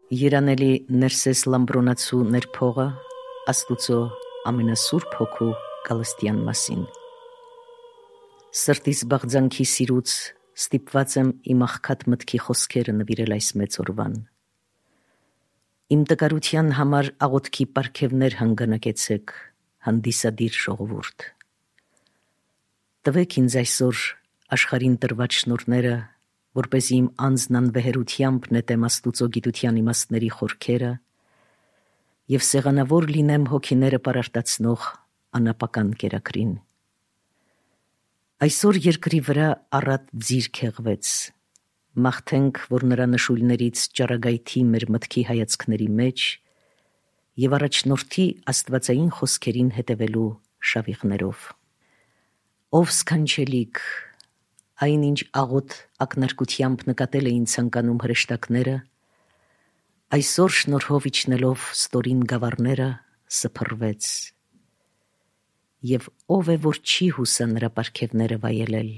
Երանելի Ներսես Լամբրոնացու ներփողը Աստուծո ամենասուրբ հոգու Գալստյան մասին։ Սրտիս բաղձանքի սիրուց ստիպված եմ իմ աղքատ մտքի խոսքերը նվիրել այս մեծ օրվան։ Իմ տկարության համար աղոթքի պարգևներ հանգանակեցեք, հանդիսադիր ժողովուրդ։ Տվեք ինձ այսօր աշխարհին տրված շնորհները, որպեսզի իմ անձն անվեհերությամբ նետեմ Աստուծո գիտության իմաստների խորքերը և սեղանավոր լինեմ հոգիները պարարտացնող անապական կերակրին։ Այսօր երկրի վրա առատ ձիր քեղվեց, մաղթենք, որ նրա նշույլներից ճառագայթի մեր մտքի հայացքների մեջ և առաջնորդի աստվածային խոսքերին հետևելու շավիղներով։ Ով սքանչելիք, այն ինչ աղոտ ակնարկությամբ նկատել էին ցանկանում հրեշտակները, այսօր շնորհով իջնելով ստորին գավառները սփռվեց։ Եվ ով է, որ չի հուսա նրա պարգևները վայելել։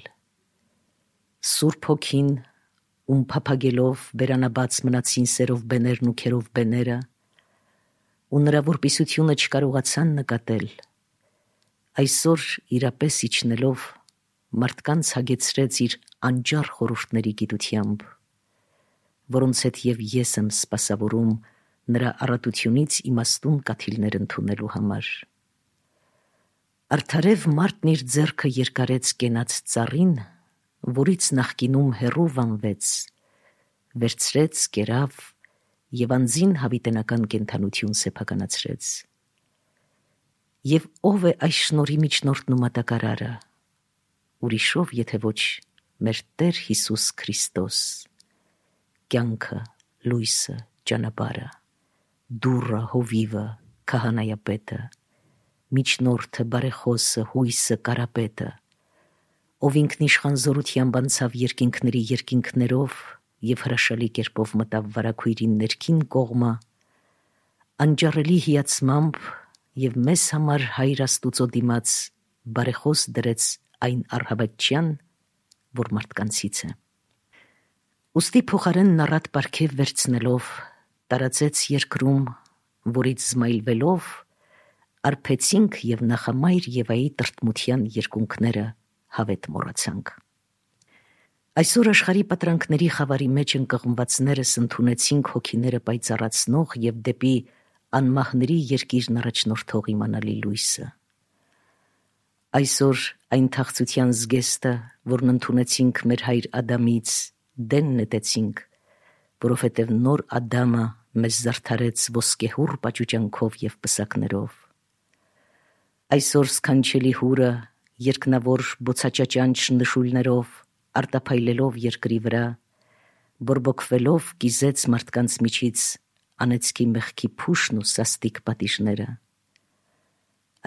Սուրբ Հոգին, ում փափագելով բերանաբաց մնացին սերով բեներն ու քերով բեները, ու նրա որպիսությունը չկարողացան նկատել, այսօր իրապես իջնելով մարդկանց հագեցրեց իր անճար խորհուրդների գիտությամբ, որոնց հետ և ես եմ սպասավորում նրա առատությունից իմաստուն կաթիլներ ընդունելու համար։ Արդարև մարդն իր ձեռքը երկարեց կենաց ծառին, որից նախկինում հեռու վանվեց, վերցրեց, կերավ և անձին հավիտենական կենդանություն սեփականացրեց։ Եվ ով է այս շնորհի միջնորդն ու մատակարարը, ուրիշով, եթե ոչ մեր Տեր Հիսուս Քրիստոս, կյանքը, լույսը, ճանապարհը, դուռը, հովիվը, քահանայապետը, միջնորդը, բարեխոսը, հույսը, կարապետը, ով ինքնիշխան զորությամբ անցավ երկինքների երկինքներով և հրաշալի կերպով մտավ վարագույրին ներքին կողմը, անճառելի հիացմամբ և մեզ համար Հայր Աստուծո դիմաց բարեխոս դրեց այն առհավատչյան, որ մարդկանցից է։ Ուստի փոխարենն առատ պարգև վերցնելով տարածեց երկրում, որից զմայլվելով արբեցինք և նախամայր Եվայի տրտմության երկունքները հավետ մոռացանք։ Այսօր աշխարհի պատրանքների խավարի մեջ ընկղմվածներս ընդունեցինք հոգիները պայծառացնող և դեպի անմահների երկիրն առաջնորդող իմանալի լույսը։ Այսօր այն թախծության զգեստը, որն ընդունեցինք մեր հայր Ադամից, դեն նետեցինք, որովհետև նոր Ադամը մեզ զարդարեց ոսկեհուռ պաճուճանքով և պսակներով։ Այսօր սքանչելի հուրը երկնավոր բոցաճաճանչ նշույլներով արտափայլելով երկրի վրա, բորբոքվելով կիզեց մարդկանց միջից անեծքի մեղքի փուշն ու սաստիկ պատիժները։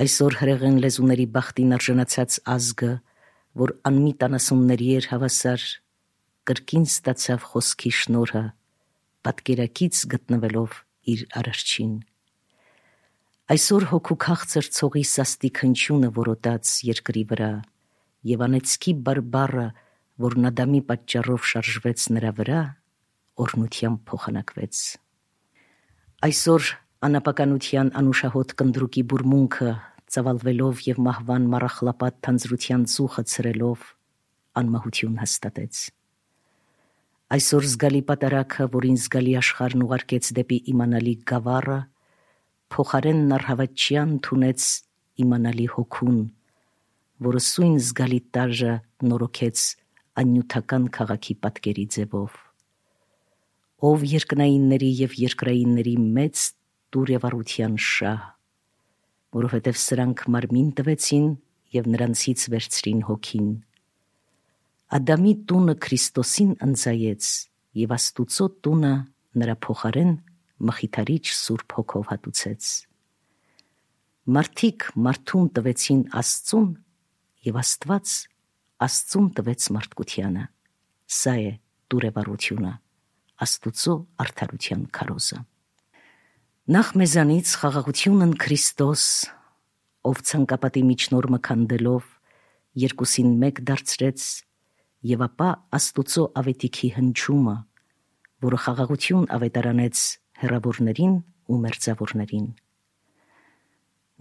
Այսօր հրեղեն լեզուների բախտին արժանացած ազգը, որ անմիտ անասունների էր հավասար, կրկին ստացավ խոսքի շնորհը, պատկերակից գտնվելով իր Արարչին։ Այսօր հոգու քաղցր ցողի սաստիկ հնչյունը որոտաց երկրի վրա, և անեծքի բարբառը, որն Ադամի պատճառով շարժվեց նրա վրա, օրհնությամբ փոխանակվեց։ Այսօր անապականության անուշահոտ կնդրուկի բուրմունքը ծավալվելով և մահվան մառախլապատ թանձրության ծուխը ցրելով անմահություն հաստատեց։ Այսօր զգալի պատարագը, որին զգալի աշխարհն ուղարկեց դեպի իմանալի գավառը, փոխարենն առհավատչյան ընդունեց իմանալի հոգուն, որը սույն զգալի տարրը նորոգեց աննյութական քաղաքի պատկերի ձևով։ Ով երկնայինների և երկրայինների մեծ տուրևառության շահ, որովհետև սրանք մարմին տվեցին և նրանցից վերցրին հոգին։ Ադամի տունը Քրիստոսին ընծայեց և Աստուծո տունը նրա փոխարեն մխիթարիչ Սուրբ Հոգով հատուցեց։ Մարդիկ մարդուն տվեցին Աստծուն, և Աստված Աստծուն տվեց մարդկությանը։ Սա է տուրևառությունը, Աստուծո արդարության քարոզը։ Նախ մեզանից խաղաղությունն Քրիստոս, ով ցանկապատի միջնորմը քանդելով երկուսին մեկ դարձրեց, և ապա Աստուծո ավետիքի հնչումը, որը խաղաղություն ավետարանեց հեռավորներին ու մերձավորներին։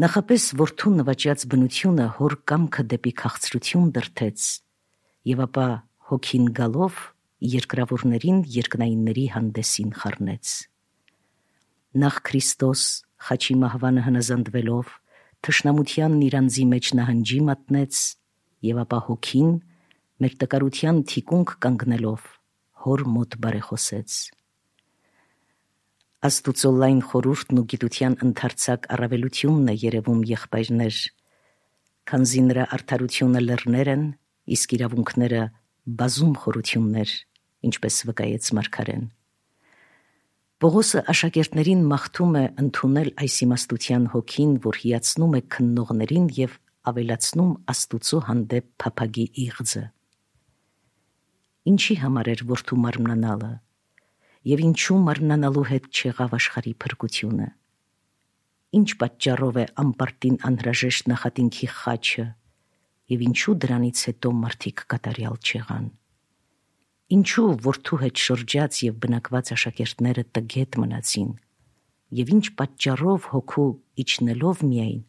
Նախապես որդու նվաճած բնությունը հոր կամքը դեպի քաղցրություն դրդեց, եւ ապա հոգին գալով երկրավորներին երկնայինների հանդեսին խառնեց։ Նախ Քրիստոս խաչի մահվանը հնազանդվելով թշնամությանն իր անձի մեջ նահանջի մատնեց, եւ ապա հոգին մեր տկարության թիկունք կանգնելով հոր մոտ բարեխոսեց։ Աստուծո լայն խորհուրդն ու գիտության ընդարձակ առավելությունն է երևում եղբայրներ, քանզի նրա արդարությունը լեռներ են, իսկ իրավունքները բազում խորություններ, ինչպես վկայեց մարգարեն։ Պողոսը աշակերտներին մաղթում է ընդունել այս իմաստության հոգին, որ հիացնում է քննողներին եւ ավելացնում Աստուծո հանդեպ փափագի իղձը։ Ինչի համար էր որդու մարմնանալը, եւ ինչու մարմնանալու հետ չեղավ աշխարհի փրկությունը։ Ինչ պատճառով է անպարտին անհրաժեշտ նախատինքի խաչը, եւ ինչու դրանից հետո մարդիկ կատարյալ չեղան։ Ինչու որդու հետ շրջած եւ բնակված աշակերտները տգետ մնացին, եւ ինչ պատճառով հոգու իջնելով միայն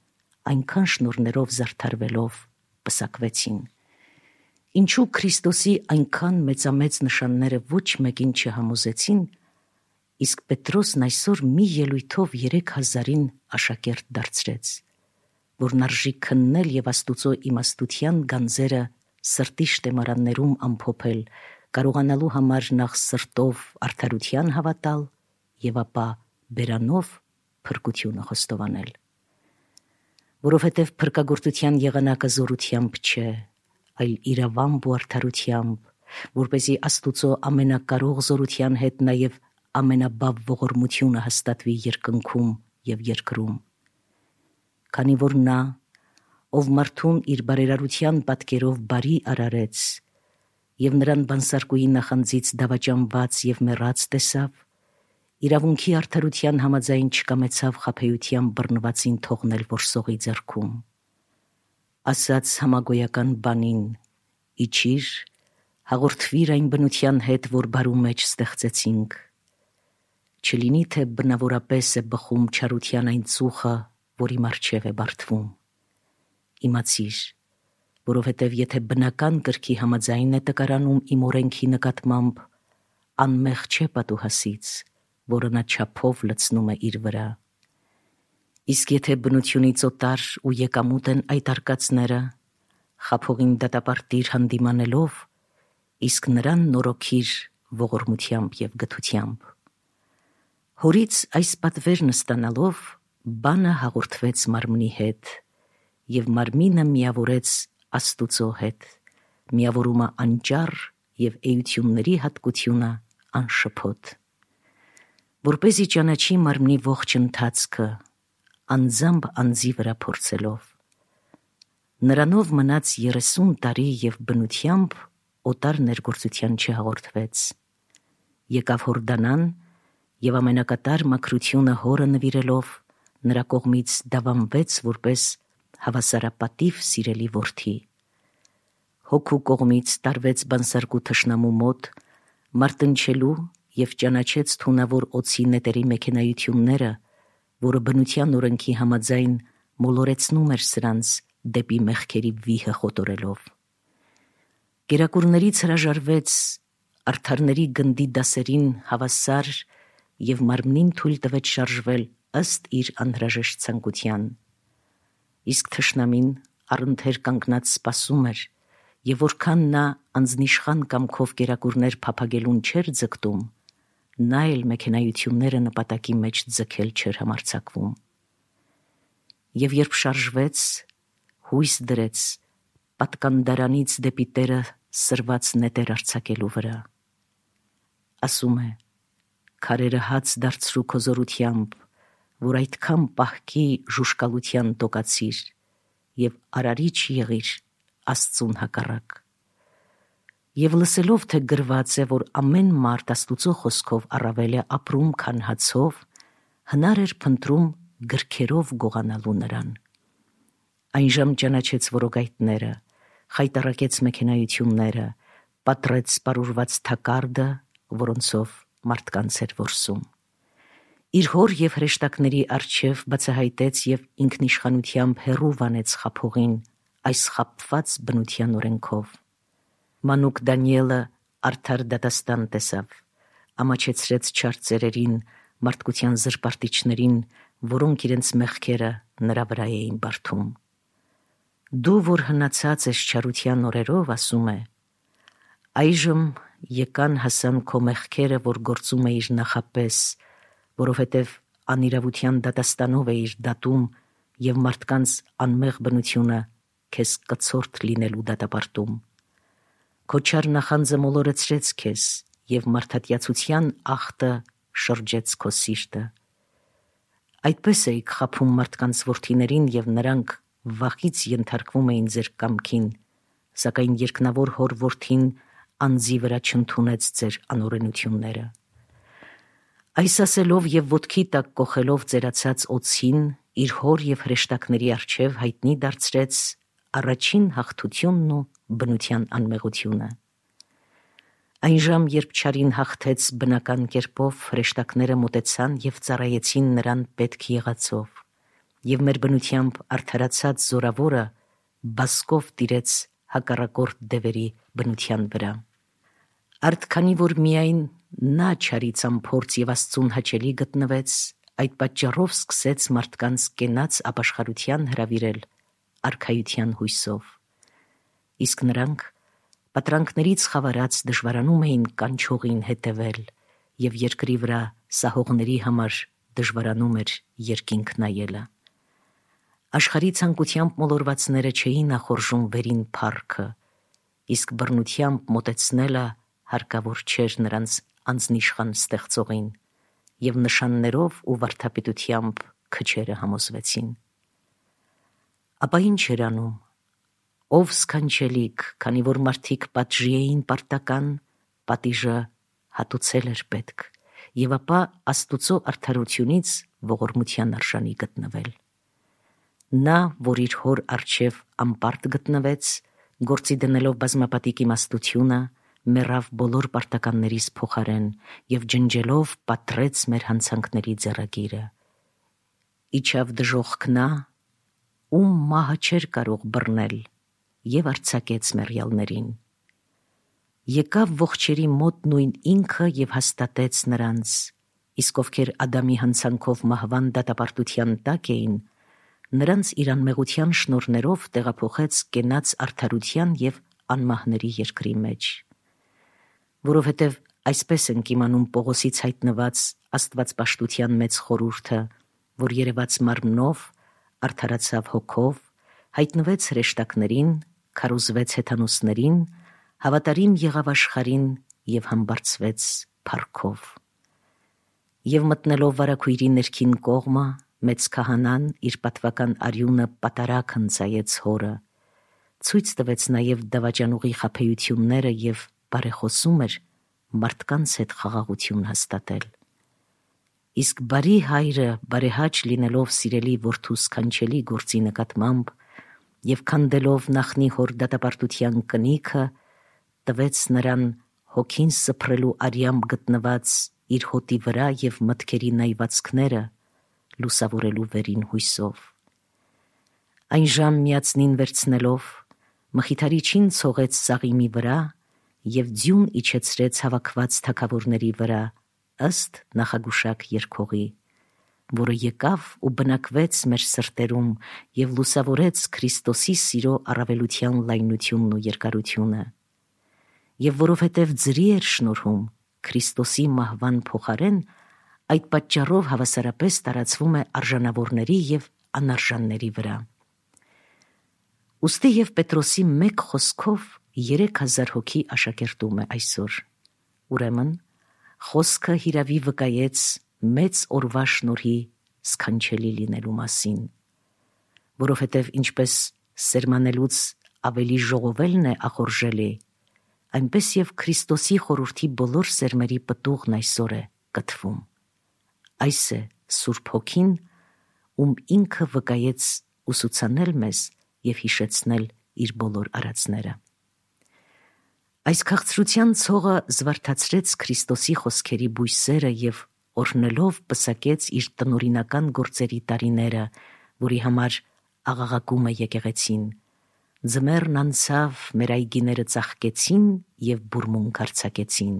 այնքան շնորներով զարդարվելով պսակվեցին։ Ինչու Քրիստոսի այնքան մեծամեծ նշանները ոչ մեկին չհամոզեցին, իսկ Պետրոսն այսօր մի ելույթով 3000-ին աշակերտ դարձրեց, որն արժի քննել եւ Աստուծո իմաստության գանձերը սրտի շտեմարաններում ամփոփել, կարողանալու համար նախ սրտով արդարության հավատալ եւ ապա բերանով փրկությունը խոստովանել։ Որովհետեւ փրկագործության եղանակը զորությամբ չէ, այլ իրավամբ ու արդարությամբ, որպեսզի Աստուծո ամենակարող զորության հետ նաեւ ամենաբավ ողորմությունը հաստատվի երկնքում եւ երկրում։ Քանի որ նա, ով մարդուն իր բարերարության պատկերով բարի արարեց եւ նրան բանսարկուի նախանձից դավաճանված եւ մեռած տեսավ, իրավունքի արդարության համաձայն չկամեցավ խաբեության բռնվածին թողնել որսողի ձեռքում։ Ասաց համագոյական բանին. «Իջիր, հաղորդվիր այն բնության հետ, որ բարու մեջ ստեղծեցինք։ Չլինի, թե բնավորապես է բխում չարության այն ծուխը, որի առջև է բարդվում։ Իմացիր, որովհետև եթե բնական կրքի համաձայն է տկարանում իմ օրենքի նկատմամբ, անմեղ չէ պատուհասից, որը նա չափով լցնում է իր վրա։ Իսկ եթե բնությունից օտար ու եկամուտ են այդ արկածները, խաբողին դատապարտիր հանդիմանելով, իսկ նրան նորոգիր ողորմությամբ եւ գթությամբ»։ Հորից այս պատվերն ստանալով բանը հաղորդվեց մարմնի հետ, եւ մարմինը միավորեց Աստուծո հետ, միավորումը անճառ եւ էությունների հատկությունը անշփոթ, որպեսզի ճանաչի մարմնի ողջ ընթացքը, անձամբ անձի վրա փորձելով։ Նրանով մնաց 30 տարի եւ բնությամբ օտար ներգործության չհաղորդվեց։ Եկավ Հորդանան եւ ամենակատար մաքրությունը հորը նվիրելով նրա կողմից դավանվեց որպես հավասարապատիվ սիրելի որդի։ Հոգու կողմից տարվեց բանսարկու թշնամու մոտ, մարտնչելու եւ ճանաչեց թունավոր օծի նետերի մեքենայությունները, որը բնության օրենքի համաձայն մոլորեցնում էր սրանց դեպի մեղքերի վիհը խոտորելով։ Կերակուրներից հրաժարվեց արդարների գնդի դասերին հավասար եւ մարմնին թույլ տվեց շարժվել ըստ իր անհրաժեշտ ցանկության։ Իսկ թշնամին առընթեր կանգնած սպասում էր, եւ որքան նա անձնիշխան կամքով կերակուրներ փափագելուն չէր ձգտում, նա էլ մեքենայությունները նպատակի մեջ ձգել չէր համարձակվում։ Եվ երբ շարժվեց, հույս դրեց պատկանդարանից դեպի Տերը սրված նետեր արձակելու վրա։ Ասում է. «Քարերը հաց դարձրու քո զորությամբ, որ այդքան պահքի ժուշկալության տոկացիր եւ արարիչ եղիր Աստծուն հակառակ»։ Եվ լսելով, թե գրված է, որ ամեն մարդ Աստուծո խոսքով առավել է ապրում, քան հացով, հնար էր փնտրում գրքերով գողանալու նրան։ Այնժամ ճանաչեց որոգայթները, խայտառակեց մեքենայությունները, պատռեց սպառուրված թակարդը, որոնցով մարդկանց էր որսում։ իր հոր և հրեշտակների առջև բացահայտեց և ինքնիշխանությամբ հեռու վանեց խաբողին այս խաբված բնության օրենքով։ Մանուկ Դանիելը արդար դատաստան տեսավ, ամաչեցրեց չար ծերերին, մարդկության զրպարտիչներին, որոնք իրենց մեղքերը նրա վրա էին բարդում։ Դու, որ հնացած ես չարության օրերով, ասում է, այժմ եկան հասան քո մեղքերը, որ գործում էիր նախապես, որովհետև անիրավության դատաստանով էիր դատում և մարդկանց անմեղ բնությունը քեզ կցորդ լինելու դատապարտում։ Քո չար նախանձը մոլորեցրեց քեզ և մարդատյացության ախտը շրջեց քո սիրտը։ Այդպես էիք խաբում մարդկանց որդիներին և նրանք վախից ենթարկվում էին ձեր կամքին, սակայն երկնավոր հոր որդին անձի վրա չընդունեց ձեր անօրենությունները։ Այս ասելով և ոտքի տակ կոխելով ծերացած օձին, իր հոր և հրեշտակների առջև հայտնի դարձրեց առաջին հաղթությունն ու բնության անմեղությունը։ Այն ժամ, երբ չարին հաղթեց բնական կերպով, հրեշտակները մոտեցան և ծառայեցին նրան պետք եղածով, և մեր բնությամբ արդարացած զորավորը բասկով տիրեց հակառակորդ դևերի բնության վրա։ Արդ քանի որ միայն նա չարի ծամփորձ և Աստծուն հաճելի գտնվեց, այդ պատճառով սկսեց մարդկանց կենաց ապաշխարության հրավիրել արքայության հույսով։ Իսկ նրանք պատրանքներից խավարած դժվարանում էին կանչողին հետևել, և երկրի վրա սահողների համար դժվարանում էր երկինք նայելը։ Աշխարհի ցանկությամբ մոլորվածները չէին նախորժում վերին փառքը, իսկ բռնությամբ մոտեցնելը հարկավոր չէր նրանց անձնիշխան ստեղծողին, և նշաններով ու վարդապետությամբ քչերը համոզվեցին։ Ապա ինչ էր անում, ով սքանչելիք, քանի որ մարդիկ պատժի էին պարտական, պատիժը հատուցել էր պետք, և ապա Աստուծո արդարությունից ողորմության արժանի գտնվել։ Նա, որ իր հոր առջև անպարտ գտնվեց, գործի դնելով բազմապատիկ իմաստությունը, մեռավ բոլոր պարտականներիս փոխարեն և ջնջելով պատռեց մեր հանցանքների ձեռագիրը։ Իջավ դժոխք նա, ում մահը չէր կարող բռնել, և արձակեց մեռյալներին։ Եկավ ողջերի մոտ նույն ինքը և հաստատեց նրանց, իսկ ովքեր Ադամի հանցանքով մահվան դատապարտության տակ էին, նրանց իր անմեղության շնորհներով տեղափոխեց կենաց արդարության և անմահների երկրի մեջ։ Որովհետև այսպես ենք իմանում Պողոսից հայտնված աստվածպաշտության մեծ խորհուրդը, որ երևաց մարմնով, արդարացավ հոգով, հայտնվեց հրեշտակներին, քարոզվեց հեթանոսներին, հավատարիմ եղավ աշխարհին և համբարձվեց փառքով։ Եվ մտնելով վարագույրի ներքին կողմը, մեծ քահանան իր պատվական արյունը պատարագ հնձայեց հորը, ցույց տվեց նաև դավաճանուղի խաբեությունները և բարեխոսում էր մարդկանց հետ խաղաղություն հաստատել։ Իսկ բարի հայրը բարեհաճ լինելով սիրելի որդու սքանչելի գործի նկատմամբ և քանդելով նախնի հոր դատապարտության կնիքը, տվեց նրան հոգին սփռելու արյամբ գտնված իր հոտի վրա և մտքերի նայվածքները լուսավորելու վերին հույսով։ Այն ժամ միածնին վերցնելով, մխիթարիչին ցողեց Սաղիմի վրա և ձյուն իջեցրեց հավաքված թագավորների վրա, ըստ նախագուշակ երգողի, որը եկավ ու բնակվեց մեր սրտերում և լուսավորեց Քրիստոսի սիրո առավելության լայնությունն ու երկարությունը։ Եվ որովհետև ձրի էր շնորհում Քրիստոսի մահվան փոխարեն, այդ պատճառով հավասարապես տարածվում է արժանավորների և անարժանների վրա։ Ուստի և Պետրոսի մեկ խոսքով 3000 հոգի աշակերտում է այսօր։ Ուրեմն, խոսքը հիրավի վկայեց մեծ օրվա շնորհի սքանչելի լինելու մասին, որովհետև ինչպես սերմանելուց ավելի ժողովելն է ախորժելի, այնպես և Քրիստոսի խորհրդի բոլոր սերմերի պտուղն այսօր է կթվում։ Այս է Սուրբ Հոգին, ում ինքը վկայեց ուսուցանել մեզ և հիշեցնել իր բոլոր արածները։ Այս քաղցրության ցողը զվարթացրեց Քրիստոսի խոսքերի բույսերը և օրհնելով պսակեց իր տնօրինական գործերի տարիները, որի համար աղաղակում է եկեղեցին. ձմեռն անցավ, մեր այգիները ծաղկեցին և բուրմունք արձակեցին։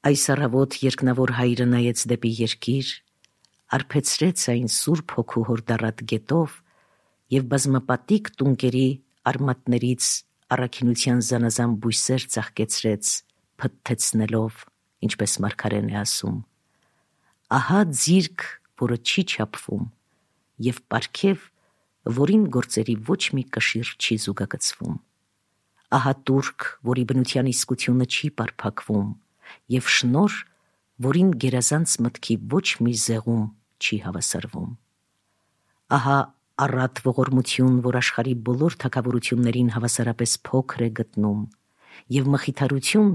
Այս առավոտ երկնավոր հայրը նայեց դեպի երկիր, արբեցրեց այն Սուրբ Հոգու հորդառատ գետով և բազմապատիկ տունկերի արմատներից առաքինության զանազան բույսեր ծաղկեցրեց, փթթեցնելով, ինչպես մարգարեն է ասում. ահա ձիրք, որը չի չափվում, և պարգև, որին գործերի ոչ մի կշիռ չի զուգակցվում, ահա տուրք, որի բնության իսկությունը չի պարփակվում, և շնորհ, որին գերազանց մտքի ոչ մի զեղում չի հավասարվում, ահա առատ ողորմություն, որ աշխարհի բոլոր թագավորություններին հավասարապես փոքր է գտնում, և մխիթարություն,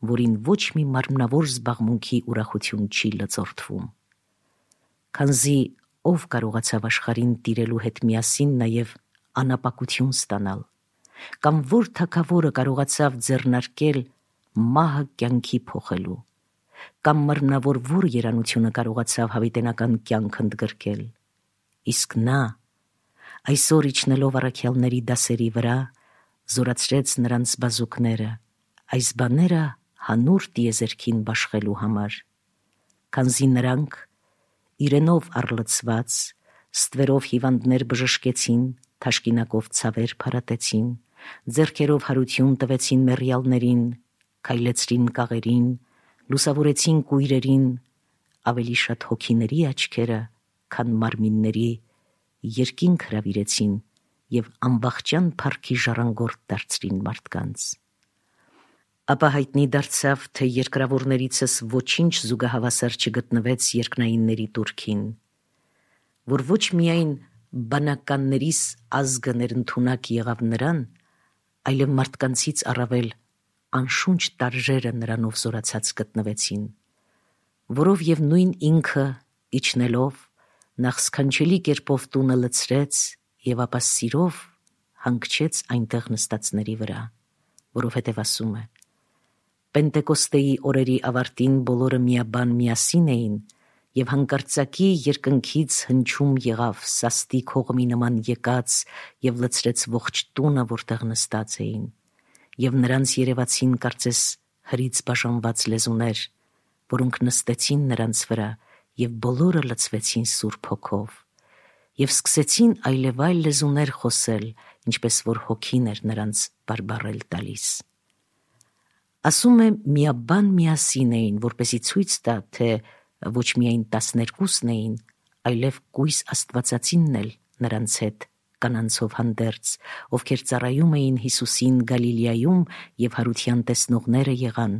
որին ոչ մի մարմնավոր զբաղմունքի ուրախություն չի լծորդվում։ Քանզի ով կարողացավ աշխարհին տիրելու հետ միասին նաև անապակություն ստանալ, կամ որ թագավորը կարողացավ ձեռնարկել մահը կյանքի փոխելու, կամ մարմնավոր որ երանությունը կարողացավ հավիտենական կյանք ընդգրկել, իսկ նա, այսօր իջնելով առաքյալների դասերի վրա, զորացրեց նրանց բազուկները, այս բաները հանուր տիեզերքին բաշխելու համար, քանզի նրանք, իրենով առլցված, ստվերով հիվանդներ բժշկեցին, թաշկինակով ցավեր փարատեցին, ձեռքերով հարություն տվեցին մեռյալներին, քայլեցրին կաղերին, լուսավորեցին կույրերին, ավելի շատ հոգիների աչքերը, քան մարմինների, երկինք հրավիրեցին և անվախճան փառքի ժառանգորդ դարձրին մարդկանց։ Ապա հայտնի դարձավ, թե երկրավորներիցս ոչինչ զուգահավասար չգտնվեց երկնայինների տուրքին, որ ոչ միայն բանականներիս ազգը ներընդունակ եղավ նրան, այլև մարդկանցից առավել անշունչ տարրերը նրանով զորացած գտնվեցին, որով և նույն ինքը իջնելով նախ սքանչելի կերպով տունը լցրեց և ապա սիրով հանգչեց այնտեղ նստածների վրա, որովհետև ասում է. Պենտեկոստեի օրերի ավարտին բոլորը միաբան միասին էին և հանկարծակի երկնքից հնչում եղավ սաստիկ հողմի նման եկած և լցրեց ողջ տունը, որտեղ նստած էին, և նրանց երևացին կարծես հրից բաժանված լեզուներ, որոնք նստեցին նրանց վրա և բոլորը լցվեցին Սուրբ Հոգով և սկսեցին այլևայլ լեզուներ խոսել, ինչպես որ Հոգին էր նրանց բարբառել տալիս։ Ասում է միաբան միասին էին, որպեսզի ցույց տա, թե ոչ միայն 12-ն էին, այլև կույս Աստվածածինն էլ նրանց հետ կանանցով հանդերձ, ովքեր ծառայում էին Հիսուսին Գալիլեայում և հարության տեսնողները եղան,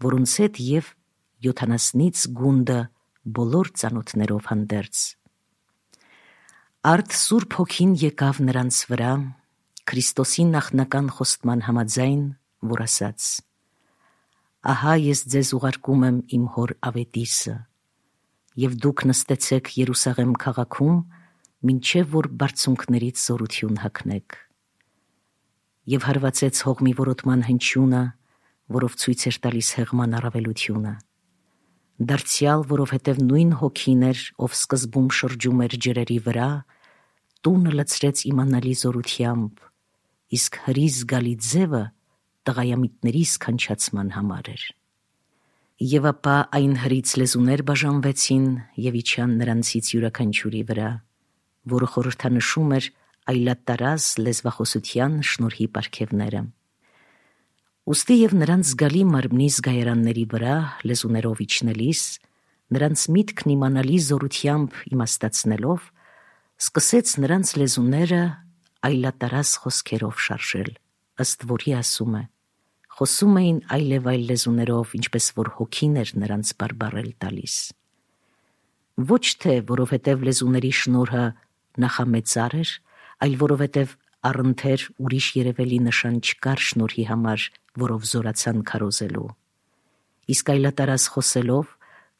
որոնց հետ և 70-ից գունդը բոլոր ծանոթներով հանդերձ։ Արդ Սուրբ Հոգին եկավ նրանց վրա Քրիստոսի նախնական խոստման համաձայն, որ ասաց. «Ահա ես ձեզ ուղարկում եմ իմ հոր ավետիսը, և դուք նստեցեք Երուսաղեմ քաղաքում, մինչև որ բարձունքներից զորություն հագնեք»։ Եվ հարվածեց հողմի որոտման հնչյունը, որով ցույց էր տալիս հեղման առավելությունը։ Դարձյալ, որովհետև նույն Հոգին էր, ով սկզբում շրջում էր ջրերի վրա, տունը լցրեց իմանալի զորությամբ, իսկ հրի զգալի ձևը տղայամիտների սքանչացման համար էր։ Եվ ապա այն հրից լեզուներ բաժանվեցին և իջան նրանցից յուրաքանչյուրի վրա, որը խորհրդանշում էր այլատարած լեզվախոսության շնորհի պարգևները։ Ուստի և նրանց զգալի մարմնի զգայարանների վրա լեզուներով իջնելիս, նրանց միտքն իմանալի զորությամբ իմաստացնելով, սկսեց նրանց լեզուները այլատարած խոսքերով շարժել, ըստ որի ասում է. խոսում էին այլևայլ լեզուներով, ինչպես որ Հոգին էր նրանց բարբառել տալիս։ Ոչ թե որովհետև լեզուների շնորհը նախամեծար էր, այլ որովհետև առընթեր ուրիշ երևելի նշան չկար շնորհի համար, որով զորացան քարոզելու։ Իսկ այլատարած խոսելով,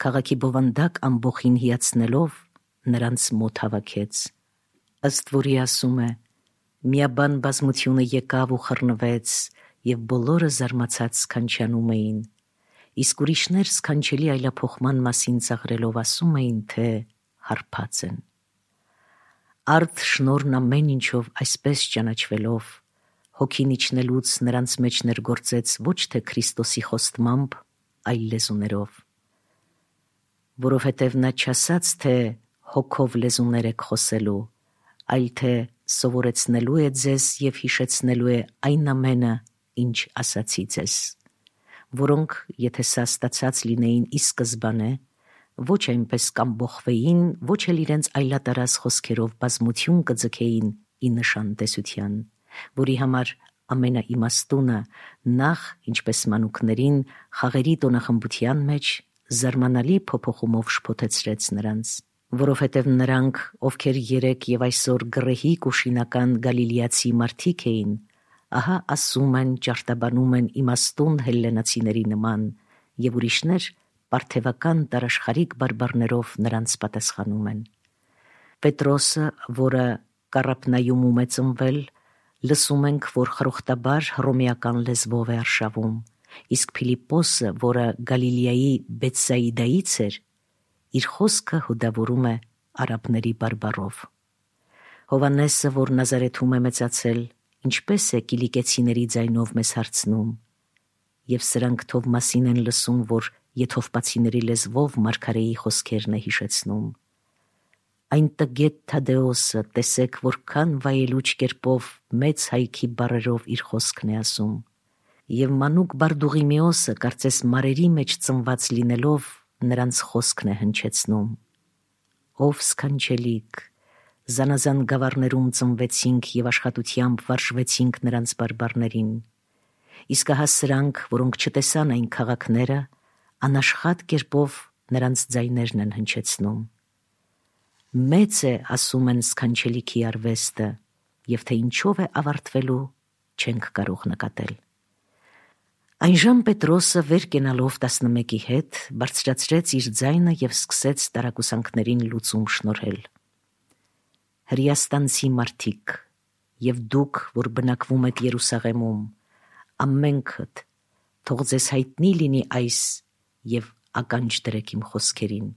քաղաքի բովանդակ ամբոխին հիացնելով, նրանց մոտ հավաքեց, ըստ որի ասում է. միաբան բազմությունը եկավ ու խռնվեց, և բոլորը զարմացած սքանչանում էին, իսկ ուրիշներ սքանչելի այլափոխման մասին ծաղրելով ասում էին, թե հարբած են։ Արդ շնորհն ամեն ինչով այսպես ճանաչվելով, հոգին իջնելուց նրանց մեջ ներգործեց ոչ թե Քրիստոսի խոստմամբ, այլ լեզուներով, որովհետև նա չասաց, թե հոգով լեզուներ եք խոսելու, այլ թե սովորեցնելու է ձեզ և հիշեցնելու է այն ամենը, ինչ ասացի ձեզ, որոնք, եթե սա ստացած լինեին ի սկզբանե, ոչ այնպես կամբոխվեին, ոչ էլ իրենց այլատարած խոսքերով բազմություն կձգեին ի նշան տեսության, որի համար ամենաիմաստունը նախ, ինչպես մանուկներին, խաղերի տոնախմբության մեջ զարմանալի փոփոխումով շփոթեցրեց նրանց, որովհետև նրանք, ովքեր երեկ և այսօր գռեհիկ ու շինական գալիլեացի մարդիկ էին, ահա ասում են, ճարտաբանում են իմաստուն հելլենացիների նման, և ուրիշներ պարթևական տարաշխարհիկ բարբառներով նրանց պատասխանում են։ Պետրոսը, որը Կարապնայումում է ծնվել, լսում ենք, որ խրոխտաբար հռոմեական լեզվով է արշավում, իսկ Փիլիպպոսը, որը Գալիլեայի Բեթսայիդայից էր, իր խոսքը հուդավորում է արաբների բարբառով։ Հովհաննեսը, որ Նազարեթում է մեծացել, ինչպես է կիլիկեցիների ձայնով մեզ հարցնում, և սրանք Թովմասին են լսում, որ եթովպացիների լեզվով մարգարեի խոսքերն է հիշեցնում։ Այն տգետ Թադեոսը, տեսեք, որքան վայելուչ կերպով մեծ հայքի բառերով իր խոսքն է ասում, և մանուկ Բարդուղիմեոսը, կարծես մարերի մեջ ծնված լինելով, նրանց խոսքն է հնչեցնում. ով սքանչելիք, զանազան գավառներում ծնվեցինք և աշխատությամբ վարժվեցինք նրանց բարբառներին, իսկ ահա սրանք, որոնք չտեսան այն քաղաքները, անաշխատ կերպով նրանց ձայներն են հնչեցնում։ Մեծ է, ասում են, սքանչելիքի արվեստը, և թե ինչով է ավարտվելու, չենք կարող նկատել։ Այնժամ Պետրոսը վեր կենալով 11-ի հետ բարձրացրեց իր ձայնը և սկսեց տարակուսանքներին լուծում շնորհել. Հրեաստանցի մարդիկ, և դուք, որ բնակվում եք Երուսաղեմում, ամենքդ, թող ձեզ հայտնի լինի այս և ականջ դրեք իմ խոսքերին։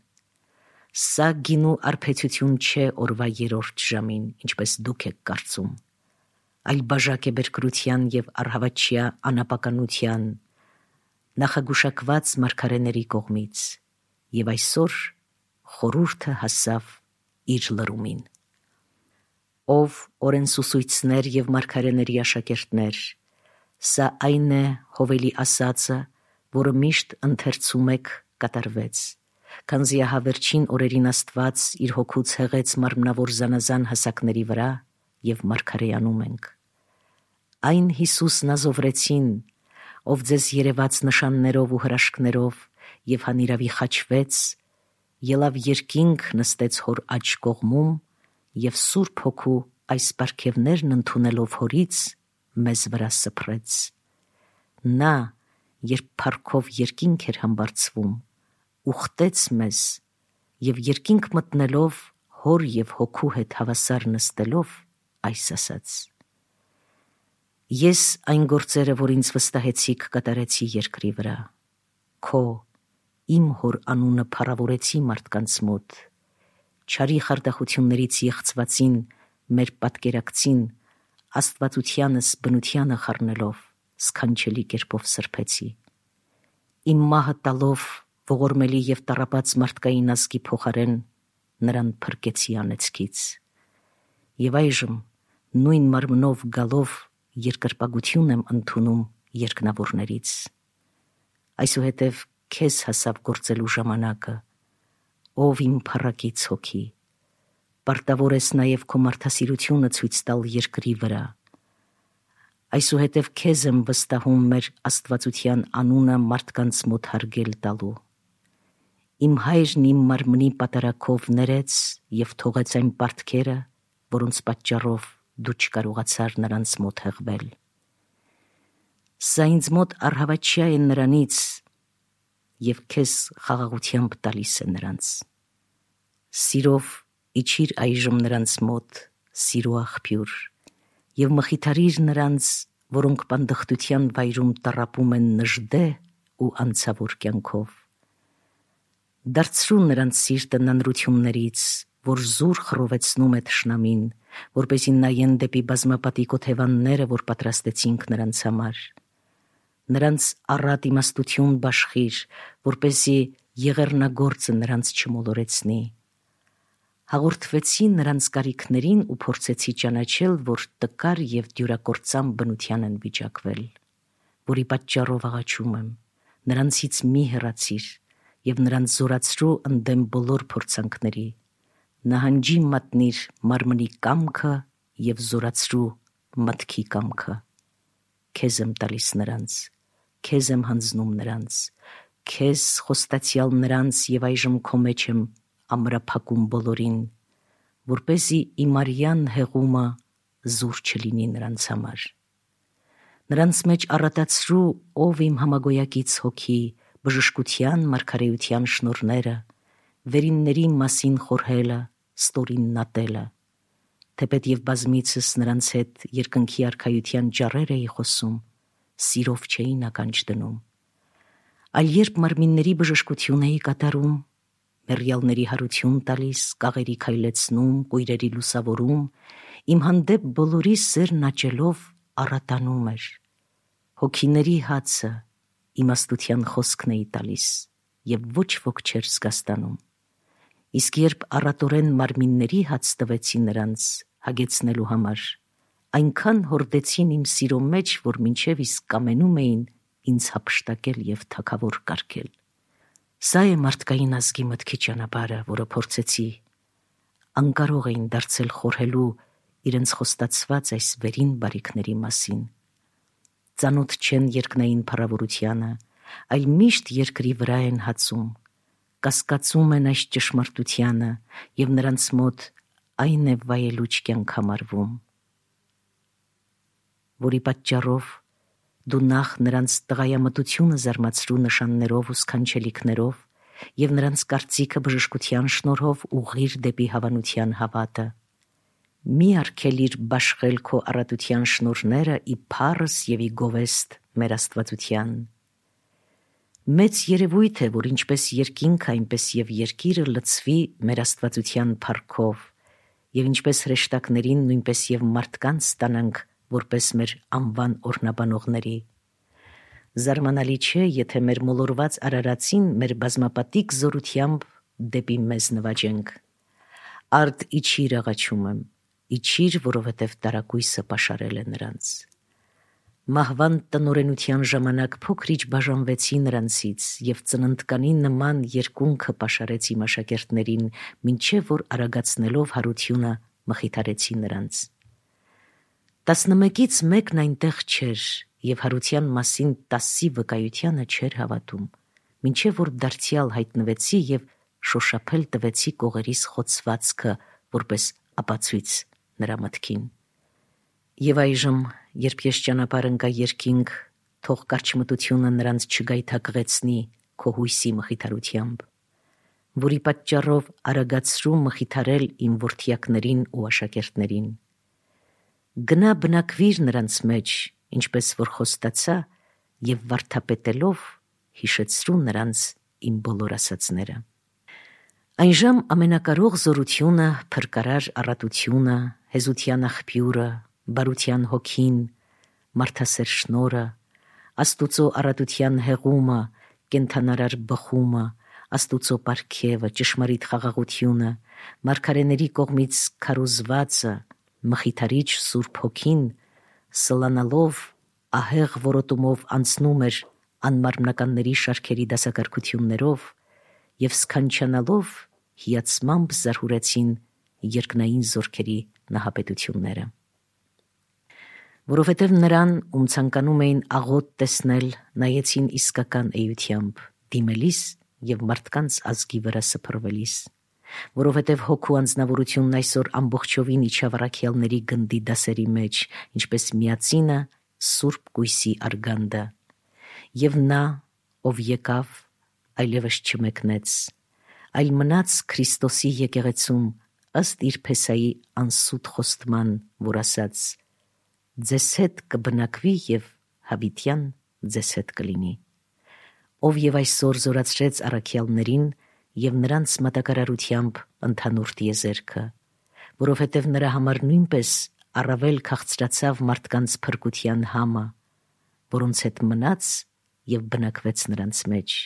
Սա գինու արբեցություն չէ օրվա 3-րդ ժամին, ինչպես դուք եք կարծում, այլ բաժակ է բերկրության և առհավատչյա անապականության, նախագուշակված մարգարեների կողմից, և այսօր խորհուրդը հասավ իր լրումին։ Ով օրենսուսույցներ և մարգարեների աշակերտներ, սա այն է Հովելի ասածը, որը միշտ ընթերցում եք, կատարվեց, քանզի ահա վերջին օրերին Աստված իր հոգուց հեղեց մարմնավոր զանազան հասակների վրա և մարգարեանում ենք։ Այն Հիսուսն ազովրեցին, ով ձեզ երևաց նշաններով ու հրաշքներով և հանիրավի խաչվեց, ելավ երկինք, նստեց հոր աջ կողմում և Սուրբ Հոգու այս պարգևներն ընդունելով հորից մեզ վրա սփռեց։ Նա, երբ փառքով երկինք էր համբարձվում, ուխտեց մեզ և երկինք մտնելով հոր և հոգու հետ հավասար նստելով, այս ասաց. Ես այն գործերը, որ ինձ վստահեցիք, կատարեցի երկրի վրա, քո իմ հոր անունը փառավորեցի մարդկանց մոտ, չարի խարդախություններից եղծվածին, մեր պատկերակցին, աստվածությանս բնությանը խառնելով, սքանչելի կերպով սրբեցի։ Իմ մահը տալով ողորմելի և տառապած մարդկային ազգի փոխարեն նրան փրկեցի անեծքից։ Եվ այժմ նույն մարմնով գալով երկրպագություն եմ ընդունում երկնավորներից։ Այսուհետև քեզ հասավ գործելու ժամանակը, ով իմ փառակից հոգի, պարտավոր ես նաև քո մարդասիրությունը ցույց տալ երկրի վրա։ Այսուհետև քեզ եմ վստահում մեր աստվածության անունը մարդկանց մոտ հարգել տալու։ Իմ հայրն իմ մարմնի պատարագով ներեց և թողեց այն պարտքերը, որոնց պատճառով դու չկարողացար նրանց մոտ հղվել։ Սա ինձ մոտ առհավատչյա է նրանից և քեզ խաղաղությամբ տալիս է նրանց։ Սիրով իջիր այժմ նրանց մոտ, սիրո աղբյուր, և մխիթարիր նրանց, որոնք պանդխտության վայրում տառապում են նժդե ու անցավոր կյանքով։ Դարձրու նրանց սիրտը նանրություններից, որ զուր խռովեցնում է թշնամին, որպեսզի նայեն դեպի բազմապատիկ օթևանները, որ պատրաստեցինք նրանց համար։ Նրանց առատ իմաստություն բաշխիր, որպեսզի եղեռնագործը նրանց չմոլորեցնի։ Հաղորդվեցի նրանց կարիքներին ու փորձեցի ճանաչել, որ տկար և դյուրակործան բնության են վիճակվել, որի պատճառով աղաչում եմ, նրանցից մի հեռացիր և նրանց զորացրու ընդդեմ բոլոր փորձանքների, նահանջի մատնիր մարմնի կամքը և զորացրու մտքի կամքը։ Քեզ եմ տալիս նրանց, քեզ եմ հանձնում նրանց, քեզ խոստացյալ նրանց և այժմ քո մեջ եմ ամրափակում բոլորին, որպեսզի իմ արյան հեղումը զուր չլինի նրանց համար։ Նրանց մեջ առատացրու, ով իմ համագոյակից հոգի, բժշկության, մարգարեության շնորհները, վերինների մասին խորհելը, ստորին ատելը, թեպետ և բազմիցս նրանց հետ երկնքի արքայության ճառեր էի խոսում, սիրով չէին ականջ դնում, այլ երբ մարմինների բժշկություն էի կատարում, մեռյալների հարություն տալիս, կաղերի քայլեցնում, կույրերի լուսավորում, իմ հանդեպ բոլորի սերն աճելով առատանում էր, հոգիների հացը, իմաստության խոսքն էի տալիս և ոչ ոք չէր զգաստանում, իսկ երբ առատորեն մարմինների հաց տվեցի նրանց հագեցնելու համար, այնքան հորդեցին իմ սիրո մեջ, որ մինչև իսկ կամենում էին ինձ հափշտակել և թագավոր կարգել։ Սա է մարդկային ազգի մտքի ճանապարհը, որը փորձեցի, անկարող էին դարձել խորհելու իրենց խոստացված այս վերին բարիքների մասին։ Ծանոթ չեն երկնային փառավորությանը, այլ միշտ երկրի վրա են հացում, կասկածում են այս ճշմարտությանը և նրանց մոտ այն է վայելուչ կյանք համարվում, որի պատճառով դու նախ նրանց տղայամտությունը զարմացրու նշաններով ու սքանչելիքներով և նրանց կարծիքը բժշկության շնորհով ուղղիր դեպի հավանության հավատը։ Մի արգելիր բաշխել քո առատության շնորհները ի փառս և ի գովեստ մեր Աստվածության։ Մեծ երևույթ է, որ ինչպես երկինքը, այնպես և երկիրը լցվի մեր Աստվածության փառքով, և ինչպես հրեշտակներին, նույնպես և մարդկանց ստանանք որպես մեր անվան օրհնաբանողների։ Զարմանալի չէ, եթե մեր մոլորված արարածին մեր բազմապատիկ զորությամբ դեպի մեզ նվաճենք։ Արդ իջիր, աղաչում եմ, իջիր, որովհետև տարակույսը պաշարել է նրանց։ Մահվան տնօրենության ժամանակ փոքրիչ բաժանվեցի նրանցից և ծննդկանի նման երկունքը պաշարեց իմ աշակերտներին, մինչև որ արագացնելով հարությունը մխիթարեցի նրանց։ 11-ից մեկն այնտեղ չէր և հարության մասին 10-ի վկայությանը չէր հավատում, մինչև որ դարձյալ հայտնվեցի և շոշափել տվեցի կողերիս խոցվածքը որպես ապացույց նրա մտքին։ Եվ այժմ, երբ ես ճանապարհ ընկա երկինք, թող կարճմտությունը նրանց չգայթակղեցնի քո հույսի մխիթարությամբ, որի պատճառով արագացրու մխիթարել իմ որդյակներին ու աշակերտներին։ Գնա բնակվիր նրանց մեջ, ինչպես որ խոստացա, և վարդապետելով հիշեցրու նրանց իմ բոլոր ասածները։ Այնժամ ամենակարող զորությունը, փրկարար առատությունը, հեզության աղբյուրը, բարության հոգին, մարդասեր շնորհը, Աստուծո առատության հեղումը, կենդանարար բխումը, Աստուծո պարգևը, ճշմարիտ խաղաղությունը, մարգարեների կողմից քարոզվածը, մխիթարիչ Սուրբ Հոգին, սլանալով ահեղ որոտումով անցնում էր անմարմնականների շարքերի դասակարգություններով և սքանչանալով հիացմամբ զարհուրեցին երկնային զորքերի նահապետությունները։ Որովհետև նրան, ում ցանկանում էին աղոտ տեսնել, նայեցին իսկական էությամբ, դիմելիս և մարդկանց ազգի վրա սփռվելիս, որովհետև հոգու անձնավորությունն այսօր ամբողջովին իջավ առաքյալների գնդի դասերի մեջ, ինչպես միածինը Սուրբ Կույսի արգանդը, և նա, ով եկավ, այլևս չմեկնեց, այլ մնաց Քրիստոսի եկեղեցում ըստ իր փեսայի անսուտ խոստման, որ ասաց. «Ձեզ հետ կբնակվի և հավիտյան ձեզ հետ կլինի»։ ով եւ այսօր զորացրեց առաքյալներին եւ նրանց մատակարարությամբ ընդհանուր տիեզերքը, որովհետեւ նրա համար նույնպես առավել քաղցրացավ մարդկանց փրկության համը, որոնց հետ մնաց եւ բնակվեց նրանց մեջ։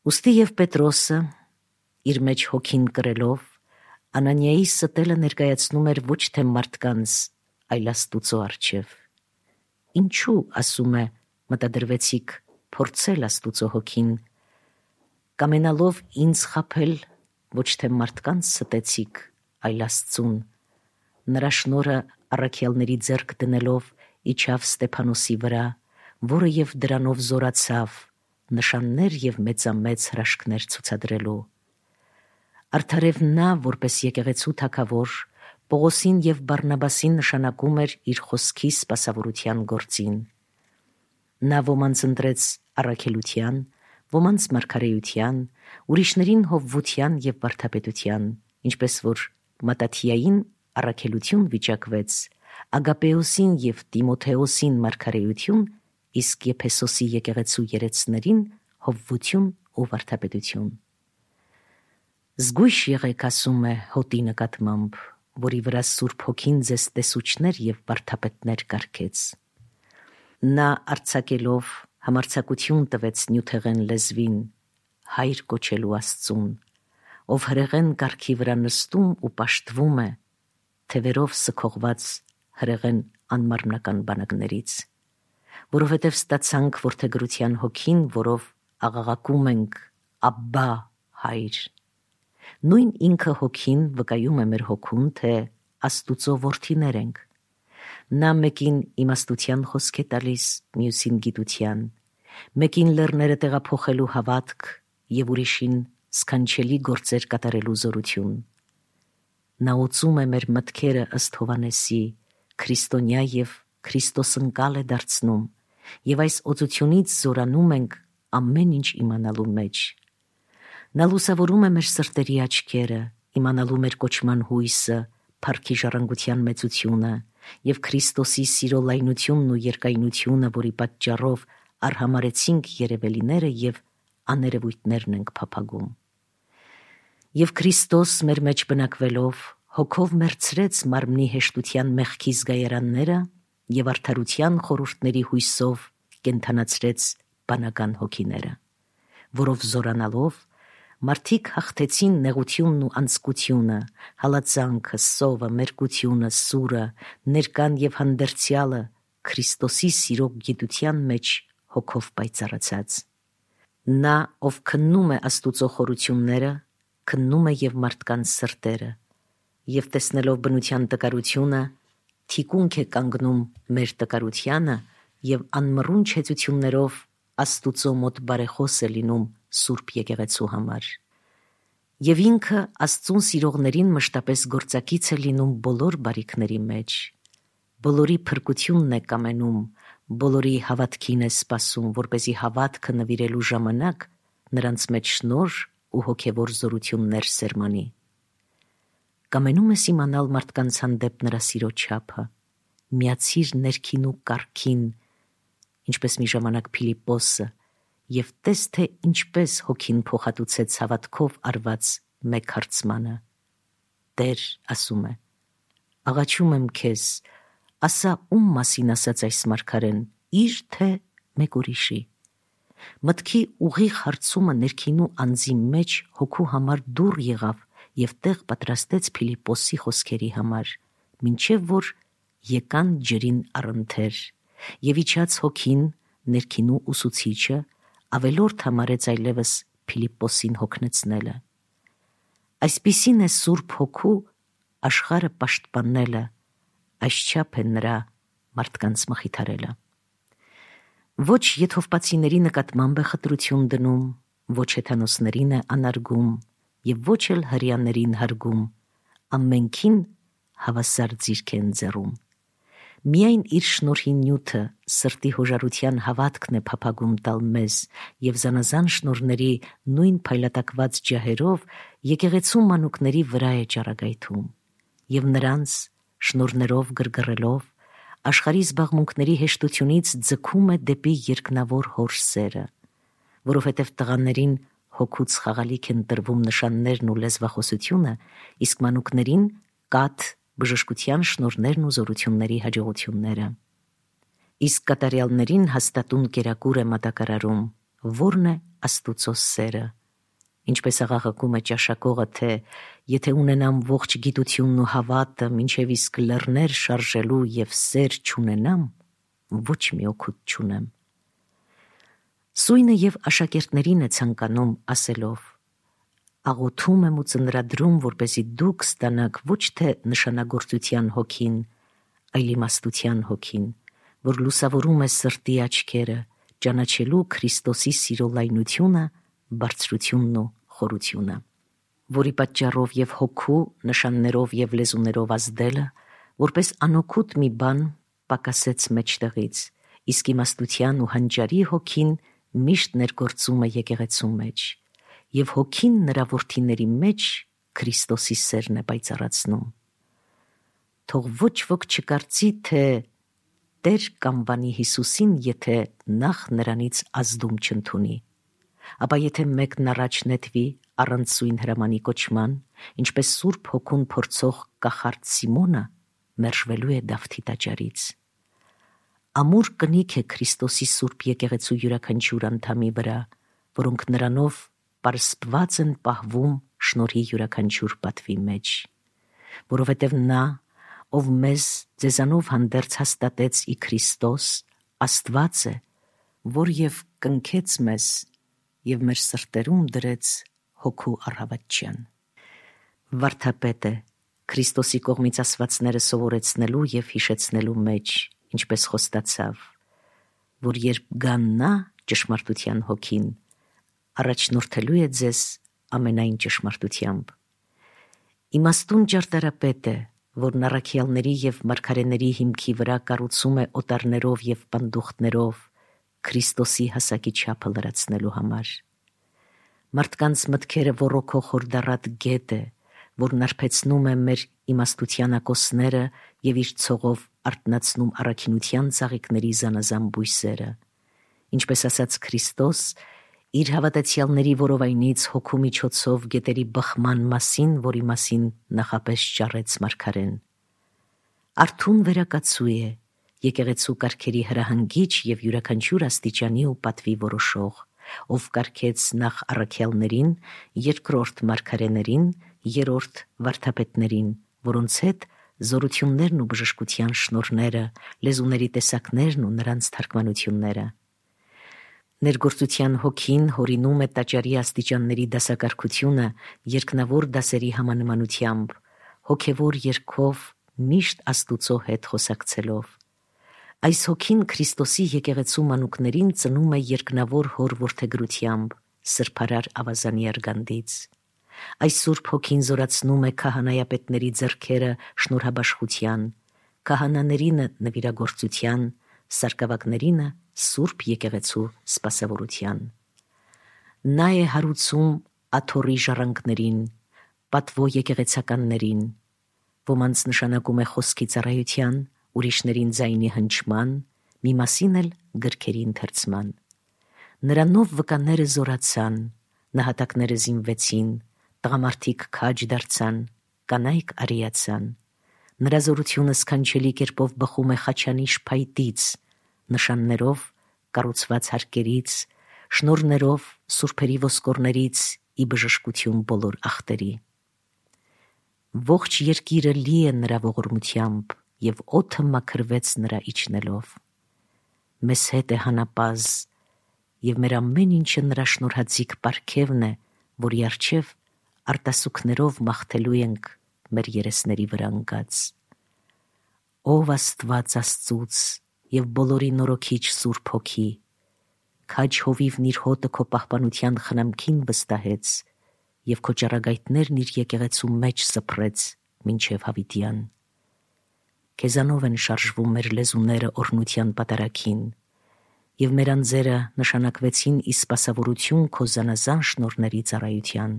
Ուստի եւ Պետրոսը իր մեջ հոգին կրելով Անանիայի ստելը ներկայացնում էր ոչ թե մարդկանց, այլ Աստուծո առջև։ Ինչու, ասում է, մտադրվեցիք փորձել Աստուծո հոգին, կամենալով ինձ խաբել, ոչ թե մարդկանց ստեցիք, այլ Աստծուն։ Նրա շնորհը առաքյալների ձեռք դնելով իջավ Ստեփանոսի վրա, որը եւ դրանով զորացավ, նշաններ եւ մեծամեծ հրաշքներ ցուցադրելու։ Արդարև նա, որպես եկեղեցու թագավոր, Պողոսին եւ Բարնաբասին նշանակում էր իր խոսքի սպասավորության գործին։ Նա ոմանց ընտրեց առաքելության, ոմանց մարգարեության, ուրիշներին հովվության եւ վարդապետության, ինչպես որ Մատաթիային առաքելություն վիճակվեց, Ագապեոսին եւ Տիմոթեոսին մարգարեություն, իսկ Եփեսոսի եկեղեցու երեցներին հովվություն ու վարդապետություն։ Զգույշ եղեք, ասում է հոտի նկատմամբ, որի վրա Սուրբ Հոգին ձեզ տեսուչներ եւ վարդապետներ կարգեց։ Նա արձակելով համարձակություն տվեց նյութեղեն լեզվին, հայր կոչելու Աստծուն, ով հրեղեն կարգի վրա նստում ու պաշտվում է, թևերով սքողված հրեղեն անմարմնական բանակներից, որովհետև ստացանք որդեգրության հոգին, որով աղաղակում ենք Աբբա, հայր։ Նույն ինքը հոգին վկայում է մեր հոգուն, թե Աստուծո որդիներ ենք։ Նա մեկին իմաստության խոսք է տալիս, մյուսին գիտության, մեկին լեռները տեղափոխելու հավատք եւ ուրիշին սքանչելի գործեր կատարելու զորություն։ Նա ուծում է մեր մտքերը ըստ Հովանեսի, քրիստոնյա եւ քրիստոսընկալ է դարձնում, եւ այս օծությունից զորանում ենք ամեն ինչ իմանալու մեջ։ Նա լուսավորում է մեր սրտերի աչքերը, իմանալու մեր կոչման հույսը, փառքի ժառանգության մեծությունը եւ Քրիստոսի սիրո լայնությունն ու երկայնությունը, որի պատճառով արհամարեցինք երևելիները եւ աներևույթներն ենք փափագում։ Եվ Քրիստոս մեր մեջ բնակվելով հոգով մերցրեց մարմնի հեշտության մեղքի զգայարանները եւ արդարության խորհուրդների հույսով կենթանացրեց բանական հոգիները, որով զորանալով մարդիկ հաղթեցին նեղությունն ու անձկությունը, հալածանքը, սովը, մերկությունը, սուրը, ներկան եւ հանդերձյալը Քրիստոսի սիրո գիտության մեջ հոգով պայծառացած։ Նա, ով քննում է Աստուծո խորությունները, քննում է եւ մարդկանց սրտերը, եւ տեսնելով բնության տկարությունը, թիկունք է կանգնում մեր տկարությանը եւ անմռուն չեցություններով Աստուծո մոտ բարեխոս է լինում Սուրբ եկեղեցու համար։ Եվ ինքը Աստծուն սիրողներին մշտապես գործակից է լինում բոլոր բարիքների մեջ, բոլորի փրկությունն է կամենում, բոլորի հավատքին է սպասում, որպեսզի հավատքը նվիրելու ժամանակ նրանց մեջ շնորհ ու հոգևոր զորություններ սերմանի։ Կամենում ես իմանալ մարդկանց հանդեպ նրա սիրո չափը, միացիր ներքին ու կարգին, ինչպես մի ժամանակ Փիլիպոսը, եւ տես, թե ինչպես հոգին փոխհատուցեց հավատքով արված մեկ հարցմանը։ Տեր, ասում է, աղաչում եմ քեզ, ասա ում մասին ասաց այս մարգարեն, իր թե մեկ ուրիշի։ Մտքի ուղիղ հարցումը ներքին ու անձի մեջ հոգու համար դուռ եղավ եւ տեղ պատրաստեց Փիլիպոսի խոսքերի համար, մինչեւ որ եկան ջրին առընթեր, եւ իջած հոգին, ներքին ու ուսուցիչը, ավելորդ համարեց այլևս Փիլիպոսին հոգնեցնելը։ Այսպիսին է Սուրբ Հոգու աշխարհը պաշտպանելը, այսչափ է նրա մարդկանց մխիթարելը։ Ոչ եթովպացիների նկատմամբ է խտրություն դնում, ոչ հեթանոսներին է անարգում եւ ոչ էլ հրեաներին հարգում, ամենքին հավասար ձիրք է ընձեռում։ Միայն իր շնորհի նյութը սրտի հոժարության հավատքն է փափագում տալ մեզ եւ զանազան շնորհների նույն փայլատակված ջահերով եկեղեցու մանուկների վրա է ճառագայթում եւ նրանց շնորհներով գրգռելով աշխարհի զբաղմունքների հեշտությունից ձգում է դեպի երկնավոր հոր սերը, որովհետև տղաներին հոգուց խաղալիք են տրվում նշաններն ու լեզվախոսությունը, իսկ մանուկներին կաթ, բժշկության շնորհներն ու զորությունների հաջողությունները։ Իսկ կատարյալներին հաստատուն կերակուր է մատակարարում, որն է Աստուծո սերը։ Ինչպես աղաղակում է ճաշակողը, թե եթե ունենամ ողջ գիտությունն ու հավատը, մինչև իսկ լեռներ շարժելու և սեր չունենամ, ոչ մի օգուտ չունեմ։ Սույնը և աշակերտներին է ցանկանում ասելով. աղոթում եմ ու ծնրադրում, որպեսզի դուք ստանաք ոչ թե նշանագործության հոգին, այլ իմաստության հոգին, որ լուսավորում է սրտի աչքերը, ճանաչելու Քրիստոսի սիրո լայնությունը, բարձրությունն ու խորությունը, որի պատճառով և հոգու նշաններով և լեզուներով ազդելը, որպես անօգուտ մի բան պակասեց մեջտեղից, իսկ իմաստության ու հանճարի հոգին միշտ ներգործում է եկեղեցու մեջ, և հոգին նրա որդիների մեջ Քրիստոսի սերն է պայծառացնում։ Թող ոչ ոք չկարծի, թե Տեր կանվանի Հիսուսին, եթե նախ նրանից ազդում չընդունի, ապա եթե մեկն առաջ նետվի առանց սույն հրամանի կոչման, ինչպես Սուրբ Հոգուն փորձող կախարդ Սիմոնը, մերժվելու է Դավթի տաճարից։ Ամուր կնիք է Քրիստոսի Սուրբ եկեղեցու յուրաքանչյուր անդամի վրա, որոնք նրանով պարսպված են պահվում շնորհի յուրաքանչյուր պատվի մեջ, որովհետև նա, ով մեզ ձեզանով հանդերձ հաստատեց ի Քրիստոս, Աստված է, որ և կնքեց մեզ և մեր սրտերում դրեց հոգու առավատչյան։ Վարդապետ է Քրիստոսի կողմից ասվածները սովորեցնելու և հիշեցնելու մեջ, ինչպես խոստացավ, որ երբ գա նա ճշմարտության հոգին, առաջնորդելու է ձեզ ամենայն ճշմարտությամբ։ Իմաստուն ճարտարապետ է, որն առաքյալների և մարգարեների հիմքի վրա կառուցում է օտարներով և պանդուխտներով Քրիստոսի հասակի չափը լրացնելու համար։ Մարդկանց մտքերը ոռոգող հորդառատ գետ է, որն արբեցնում է մեր իմաստության ակոսները և իր ցողով արթնացնում առաքինության ծաղիկների զանազան բույսերը։ Ինչպես ասաց Քրիստոս, իր հավատացյալների որովայնից հոգու միջոցով գետերի բխման մասին, որի մասին նախապես ճառեց մարգարեն։ Արթուն վերակացու է, եկեղեցու կարգերի հրահանգիչ և յուրաքանչյուր աստիճանի ու պատվի որոշող, ով կարգեց նախ առաքյալներին, երկրորդ մարգարեներին, երրորդ վարդապետներին, որոնց հետ զորություններն ու բժշկության շնորհները, լեզուների տեսակներն ու նրանց թարգմանությունները։ Ներգործության հոգին հորինում է տաճարի աստիճանների դասակարգությունը երկնավոր դասերի համանմանությամբ, հոգևոր երգով միշտ Աստուծո հետ խոսակցելով։ Այս հոգին Քրիստոսի եկեղեցու մանուկներին ծնում է երկնավոր հոր որդեգրությամբ, սրբարար ավազանի արգանդից։ Այս Սուրբ Հոգին զորացնում է քահանայապետների ձեռքերը շնորհաբաշխության, քահանաներինը նվիրագործության, սարկավագներինը Սուրբ եկեղեցու սպասավորության։ Նա է հարուցում աթոռի ժառանգներին, պատվո եկեղեցականներին, ոմանց նշանակում է խոսքի ծառայության, ուրիշներին ձայնի հնչման, մի մասին էլ գրքերի ընթերցման։ Նրանով վկաները զորացան, նահատակները զինվեցին, տղամարդիկ քաջ դարձան, կանայք արիացան։ Նրա զորությունը սքանչելի կերպով բխում է խաչանիշ փայտից, նշաններով կառուցված հարկերից, շնորհներով սուրբերի ոսկորներից ի բժշկություն բոլոր ախտերի։ Ողջ երկիրը լի է նրա ողորմությամբ, և օդը մաքրվեց նրա իջնելով։ Մեզ հետ է հանապազ, և մեր ամեն ինչը նրա շնորհածիկ պարգևն է, որի առջև արտասուքներով մաղթելու ենք մեր երեսների վրա ընկած։ Ով Աստված Աստծուց և բոլորի նորոգիչ Սուրբ Հոգի, քաջ հովիվն իր հոտը քո պահպանության խնամքին վստահեց և քո ճառագայթներն իր եկեղեցու մեջ սփռեց մինչև հավիտյան։ Քեզանով են շարժվում մեր լեզուները օրհնության պատարագին, և մեր անձերը նշանակվեցին ի սպասավորություն քո զանազան շնորհների ծառայության։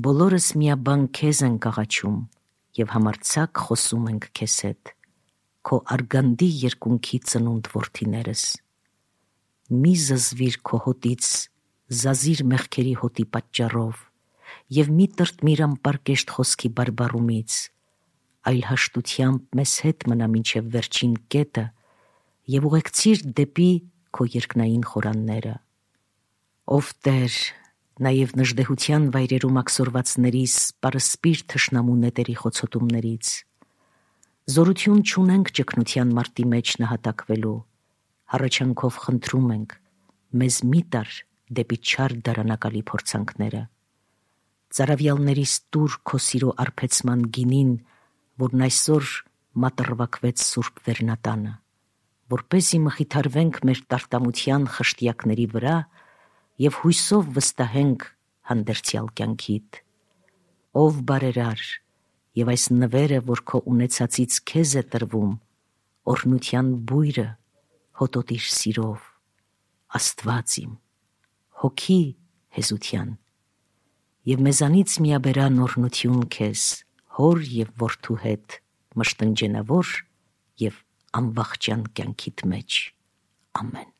Բոլորս միաբան քեզ ենք աղաչում և համարձակ խոսում ենք քեզ հետ, քո արգանդի երկունքի ծնունդ որդիներս։ մի զզվիր քո հոտից զազիր մեղքերի հոտի պատճառով և մի տրտմիր անպարկեշտ խոսքի բարբառումից, այլ հաշտությամբ մեզ հետ մնա մինչև վերջին կետը և ուղեկցիր դեպի քո երկնային խորանները։ Ով Տեր, նաև նժդեհության վայրերում աքսորվածներիս պարսպիր թշնամու նետերի խոցոտումներից, զորություն չունենք ճգնության մարտի մեջ նահատակվելու, հառաչանքով խնդրում ենք, մեզ մի տար դեպի չար դարանակալի փորձանքները։ Ծարավյալներիս տուր քո սիրո արբեցման գինին, որն այսօր մատրվակվեց Սուրբ Վերնատանը, որպեսզի մխիթարվենք մեր տարտամության խշտյակների վրա և հույսով վստահենք հանդերձյալ կյանքիդ։ Ով բարերար, և այս նվերը, որ քո ունեցածից քեզ է տրվում, օրհնության բույրը հոտոտիր սիրով, Աստված իմ, հոգի հեզության, և մեզանից միաբերան օրհնություն քեզ, Հոր և Որդու հետ, մշտնջենավոր և անվախճան կյանքիդ մեջ։ Ամեն։